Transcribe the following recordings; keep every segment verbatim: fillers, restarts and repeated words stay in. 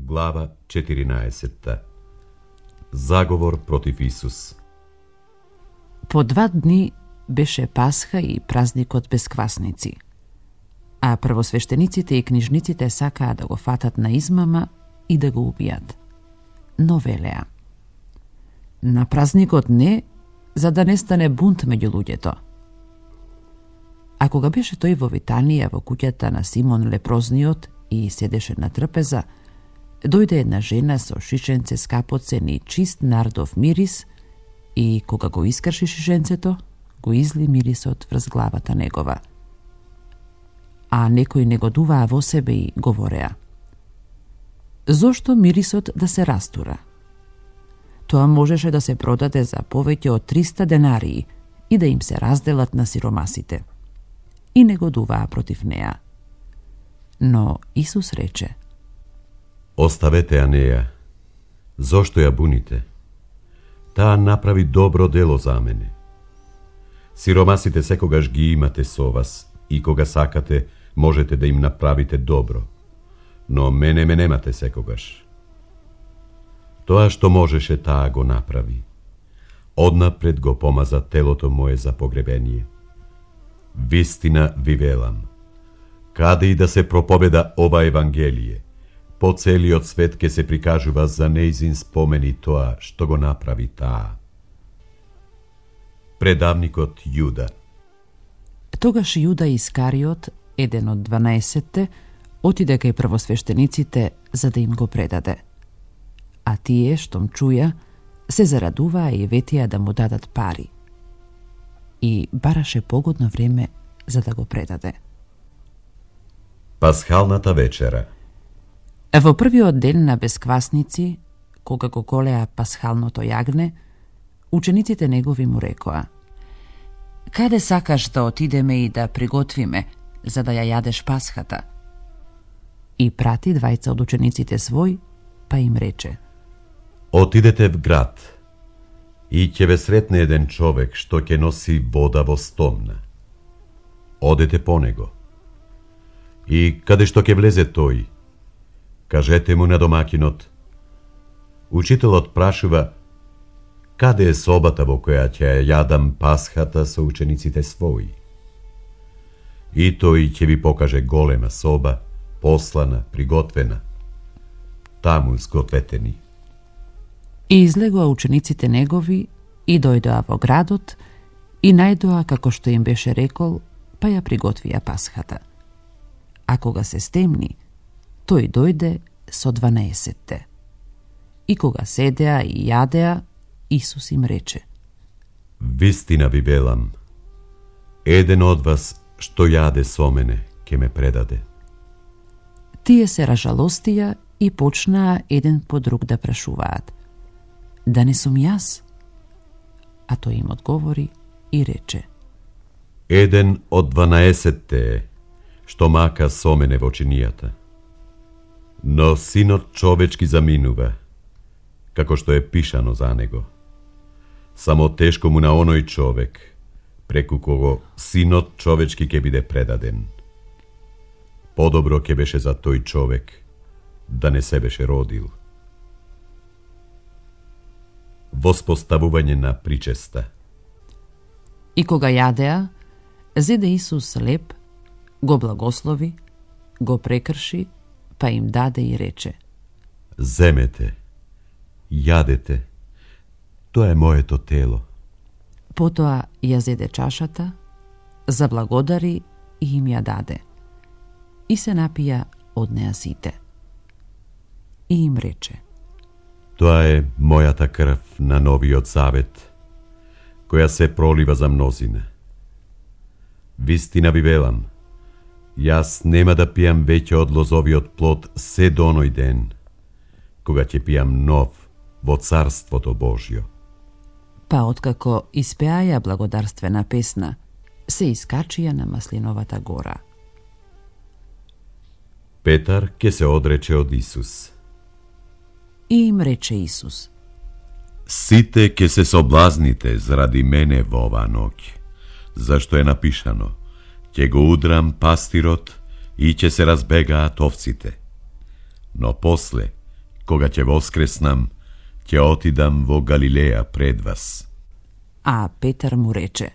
Глава четиринаесетта. Заговор против Исус. По два дни беше Пасха и празникот без квасници. А првосвештениците и книжниците сакаа да го фатат на измама и да го убијат. Но велеа: на празникот не, за да не стане бунт меѓу луѓето. А кога беше тој во Витанија, во куќата на Симон лепрозниот и седеше на трпеза, дојде една жена со шишенце скапоцен и чист нардов мирис и кога го искрши шишенцето, го изли мирисот врз главата негова. А некои негодуваа во себе и говореа: зошто мирисот да се растура? Тоа можеше да се продаде за повеќе од триста денарии и да им се разделат на сиромасите. И негодуваа против неа. Но Исус рече: оставете ја неја. Зошто ја буните? Таа направи добро дело за мене. Сиромасите секогаш ги имате со вас и кога сакате можете да им направите добро, но мене ме немате секогаш. Тоа што можеше, таа го направи. Однапред го помаза телото мое за погребение. Вистина ви велам, каде и да се проповеда ова Евангелие, по целиот свет ке се прикажува за нејзин спомени тоа што го направи таа. Предавникот Јуда. Тогаш Јуда Искариот, еден од дванаесетте, отиде кај првосвештениците за да им го предаде. А тие, штом чуја, се зарадуваа и ветија да му дадат пари. И бараше погодно време за да го предаде. Пасхалната вечера. Во првиот ден на бесквасници, кога го голеа пасхалното јагне, учениците негови му рекоа: каде сакаш да отидеме и да приготвиме, за да ја јадеш пасхата? И прати двајца од учениците свој, па им рече: отидете в град и ќе ве сретне еден човек што ќе носи вода во стомна. Одете по него. И каде што ќе влезе тој, кажете му на домакинот: учителот прашува каде е собата во која ќе ја јадам пасхата со учениците своји. И тој ќе ви покаже голема соба, послана, приготвена. Таму сгответе ни. И излегоа учениците негови и дојдоа во градот и најдоа како што им беше рекол, па ја приготвија пасхата. А кога се стемни, тој дојде со дванаесетте. И кога седеа и јадеа, Исус им рече: вистина ви велам, еден од вас што јаде со мене, ке ме предаде. Тие се ражалостија и почнаа еден по друг да прашуваат: да не сум јас? А тој им одговори и рече: еден од дванаесетте е, што мака со мене во чинијата. Но Синот човечки заминува, како што е пишано за него. Само тешко му на оној човек, преку кого Синот човечки ќе биде предаден. Подобро ќе беше за тој човек да не се беше родил. Воспоставување на причеста. И кога јадеа, зеде Исус леп, го благослови, го прекрши, па им даде и рече: земете, јадете, тоа е моето тело. Потоа ја зеде чашата, заблагодари и им ја даде. И се напија од неа сите. И им рече: тоа е мојата крв на новиот завет, која се пролива за мнозина. Вистина ви велам, јас нема да пијам веќе од лозовиот плод се до оној ден, кога ќе пијам нов во Царството Божјо. Па откако испеаја благодарствена песна, се искачија на Маслиновата гора. Петар ке се одрече од Исус. И им рече Исус: сите ке се соблазните заради мене во оваа ноќ, зашто е напишано: ќе го удрам пастирот и ќе се разбегаат овците. Но после Кога ќе воскреснам, ќе отидам во Галилеја пред вас. А Петар му рече: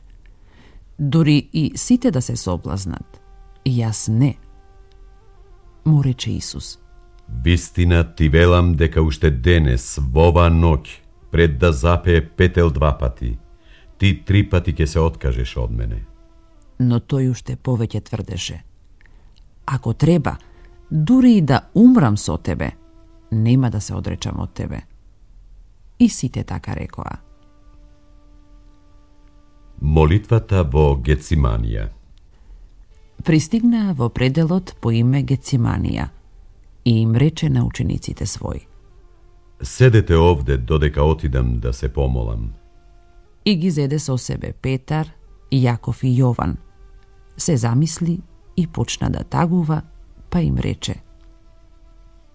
Дори и сите да се соблазнат, јас не. Му рече Исус: Вистина ти велам дека уште денес, во оваа ноќ, пред да запее петел два пати, ти три пати ќе се откажеш од мене. Но тој уште повеќе тврдеше: Ако треба, дури и да умрам со тебе, нема да се одречам од тебе. И сите така рекоа. Молитвата во Гециманија. Пристигнаа во пределот по име Гециманија и им рече на учениците своји: Седете овде додека отидам да се помолам. И ги зеде со себе Петар, Јаков и Јован. Се замисли и почна да тагува, па им рече: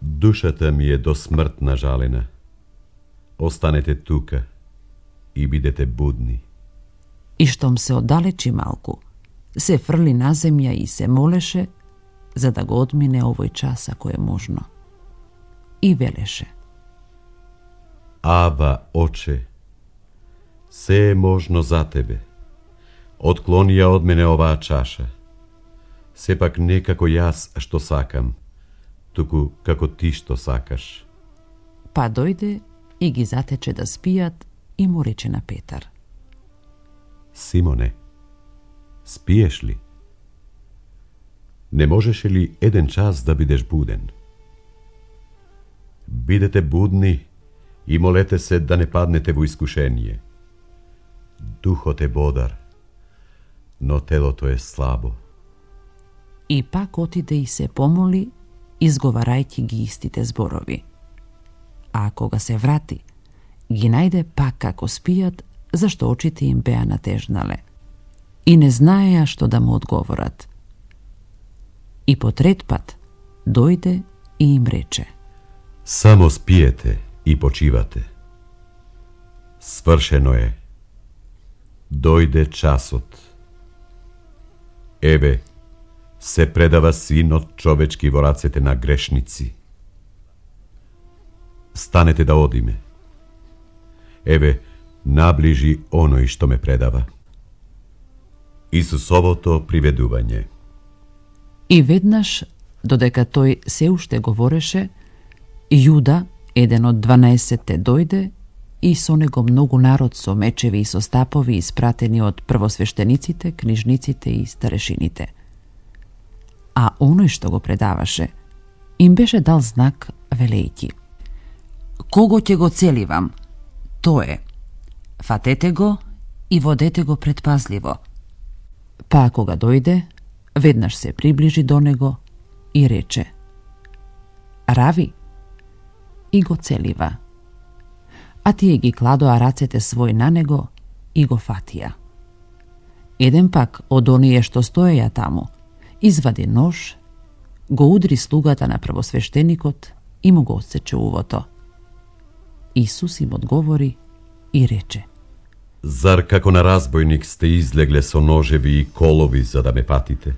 Душата ми е до смрт нажалена. Останете тука и бидете будни. И штом се оддалечи малку, се фрли на земја и се молеше, за да го одмине овој час ако е можно. И велеше: Ава, Оче, се е можно за тебе. Отклони ја од мене оваа чаша. Сепак не како јас што сакам, туку како ти што сакаш. Па дојде и ги затече да спијат и му рече на Петар: Симоне, спиеш ли? Не можеше ли еден час да бидеш буден? Бидете будни и молете се да не паднете во искушение. Духот е бодар, но телото е слабо. И пак отиде и се помоли, изговарајќи ги истите зборови. А кога се врати, ги најде пак како спијат, зашто очите им беа натежнале. И не знаеа што да му одговорат. И по трет пат дојде и им рече: Само спиете и почивате. Свршено е. Дојде часот. Еве, се предава Синот човечки во рацете на грешници. Станете да одиме. Еве, наближи оној што ме предава. Исусовото приведување. И веднаш, додека тој се уште говореше, Јуда, еден од дванаесетте, дојде и со него многу народ со мечеви и со стапови испратени од првосвештениците, книжниците и старешините. А оној што го предаваше, им беше дал знак велејќи: Кого ќе го целивам, то е. Фатете го и водете го предпазливо. Па кога дојде, веднаш се приближи до него и рече: Рави, и го целива. А тие ги кладоа рацете свој на него и го фатија. Еден пак од оние што стоеја таму извади нож, го удри слугата на првосвештеникот и му го отсече увото. Исус им одговори и рече: Зар како на разбойник сте излегле со ножеви и колови за да ме фатите?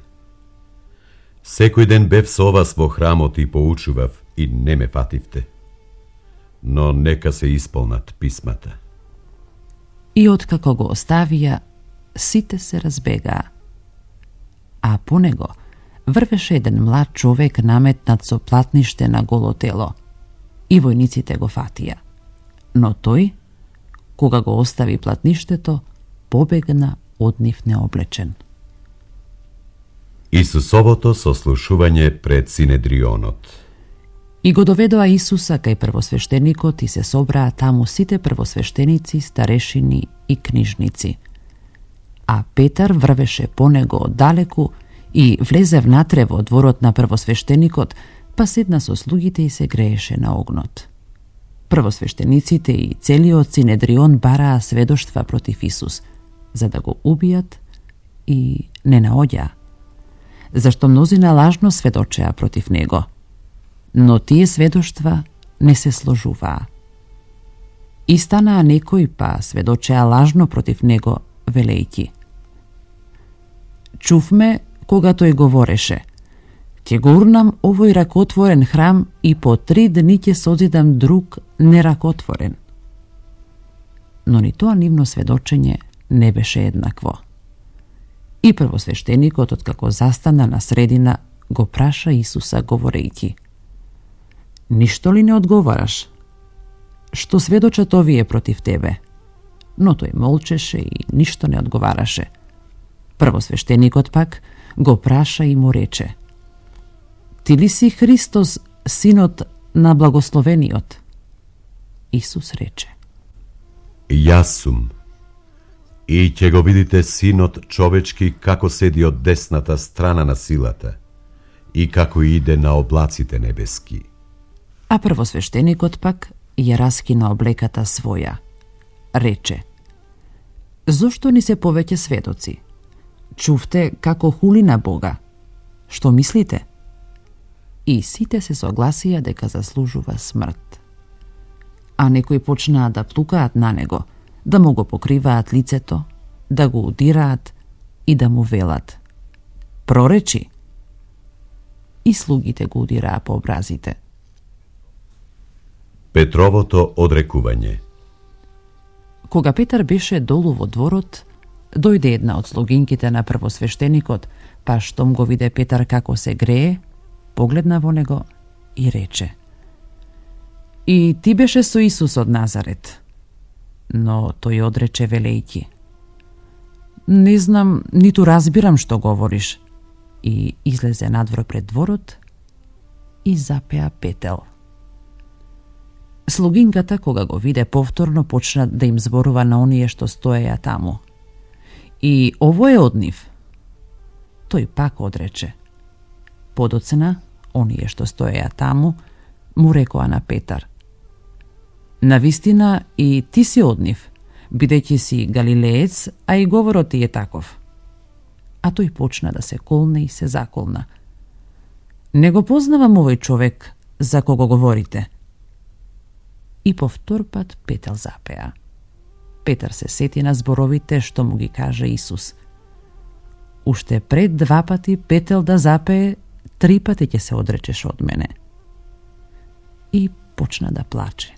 Секој ден бев со вас во храмот и поучував и не ме фативте. Но нека се исполнат писмата. И откако го оставија, сите се разбегаа. А по него врвеше еден млад човек наметнат со платниште на голо тело. И војниците го фатија. Но тој, кога го остави платништето, побегна од нив необлечен. Исусовото сослушување пред Синедрионот. И го доведоа Исуса кај првосвештеникот и се собраа таму сите првосвештеници, старешини и книжници. А Петар врвеше по него оддалеку и влезе внатре во дворот на првосвештеникот, па седна со слугите и се грееше на огнот. Првосвештениците и целиот Синедрион бараа сведоштва против Исус, за да го убијат, и не наоѓаа, зашто мнозина лажно сведочеа против него. Но тие сведоштва не се сложуваа. И станаа некои па сведочеа лажно против него, велејќи: Чувме кога тој говореше: Ќе го урнам овој ракотворен храм и по три дни ќе созидам друг неракотворен. Но ни тоа нивно сведочење не беше еднакво. И првосвештеникот, откако застана на средина, го праша Исуса говорејќи: Ништо ли не одговараш? Што сведочат овие против тебе? Но тој молчеше и ништо не одговараше. Првосвештеникот пак го праша и му рече: Ти ли си Христос, синот на благословениот? Исус рече: Јас сум. И ќе го видите синот човечки како седи од десната страна на силата и како иде на облаците небески. А првосвештеникот пак ја раскина облеката своја. Рече: Зошто ни се повеќе сведоци? Чувте како хули на Бога. Што мислите? И сите се согласија дека заслужува смрт. А некои почнаа да плукаат на него, да му го покриваат лицето, да го удираат и да му велат: Проречи! И слугите го удираа по образите. Петровото одрекување. Кога Петар беше долу во дворот, дојде една од слугинките на првосвештеникот, па штом го виде Петар како се грее, погледна во него и рече: И ти беше со Исус од Назарет. Но тој одрече велејќи: Не знам, ниту разбирам што говориш. И излезе надвор пред дворот и запеа петел. Слугинката, кога го виде повторно, почна да им зборува на оние што стоеја таму: И ово е од нив. Тој пак одрече. Подоцна, оние што стоеја таму, му рекоа на Петар: Навистина и ти си од нив, бидејќи си галилеец, а и говорот ти е таков. А тој почна да се колне и се заколна: Не го познавам овој човек за кого говорите. И повтор пат петел запеа. Петар се сети на зборовите што му ги каже Исус: Уште пред два пати петел да запее, три пати ќе се одречеш од мене. И почна да плаче.